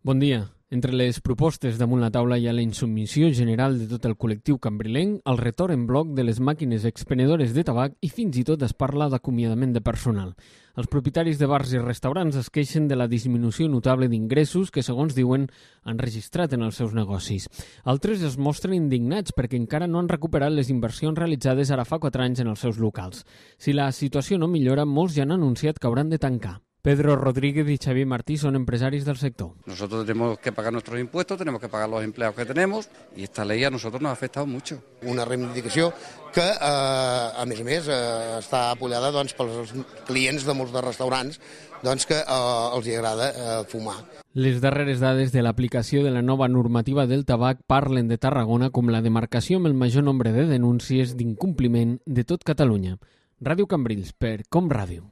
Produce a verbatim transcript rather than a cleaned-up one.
Bon dia. Entre les propostes damunt la taula hi ha la insubmissió general de tot el col·lectiu cambrilenc, el retorn en bloc de les màquines expenedores de tabac i fins i tot es parla d'acomiadament de personal. Els propietaris de bars i restaurants es queixen de la disminució notable d'ingressos que, segons diuen, han registrat en els seus negocis. Altres es mostren indignats perquè encara no han recuperat les inversions realitzades ara fa quatre anys en els seus locals. Si la situació no millora, molts ja han anunciat que hauran de tancar. Pedro Rodríguez y Xavier Martí son empresarios del sector. Nosotros tenemos que pagar nuestros impuestos, tenemos que pagar los empleados que tenemos y esta ley a nosotros nos ha afectado mucho. Una reivindicació que, eh, a més a més, eh, està apoyada doncs, pels clients de molts de restaurants doncs, que eh, els hi agrada eh, fumar. Les darreres dades de l'aplicació de la nova normativa del tabac parlen de Tarragona com la demarcació amb el major nombre de denúncies d'incompliment de tot Catalunya. Ràdio Cambrils, per Com Ràdio.